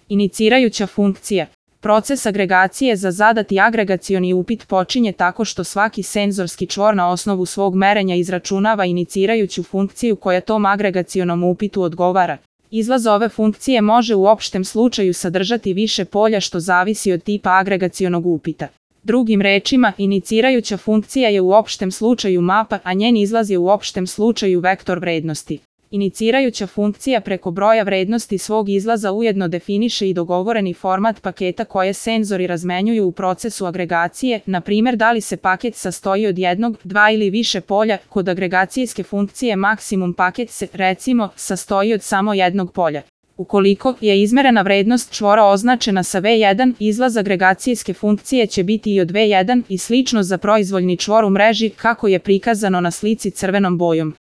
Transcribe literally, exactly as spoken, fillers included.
Inicirajuća funkcija. Proces agregacije za zadati agregacioni upit počinje tako što svaki senzorski čvor na osnovu svog merenja izračunava inicirajuću funkciju koja tom agregacionom upitu odgovara. Izlaz ove funkcije može u opštem slučaju sadržati više polja što zavisi od tipa agregacionog upita. Drugim rečima, inicirajuća funkcija je u opštem slučaju mapa, a njen izlaz je u opštem slučaju vektor vrednosti. Inicirajuća funkcija preko broja vrednosti svog izlaza ujedno definiše i dogovoreni format paketa koje senzori razmenjuju u procesu agregacije, na primjer da li se paket sastoji od jednog, dva ili više polja. Kod agregacijske funkcije maksimum paket se, recimo, sastoji od samo jednog polja. Ukoliko je izmerena vrednost čvora označena sa V jedan, izlaz agregacijske funkcije će biti i od V jedan i slično za proizvoljni čvor u mreži kako je prikazano na slici crvenom bojom.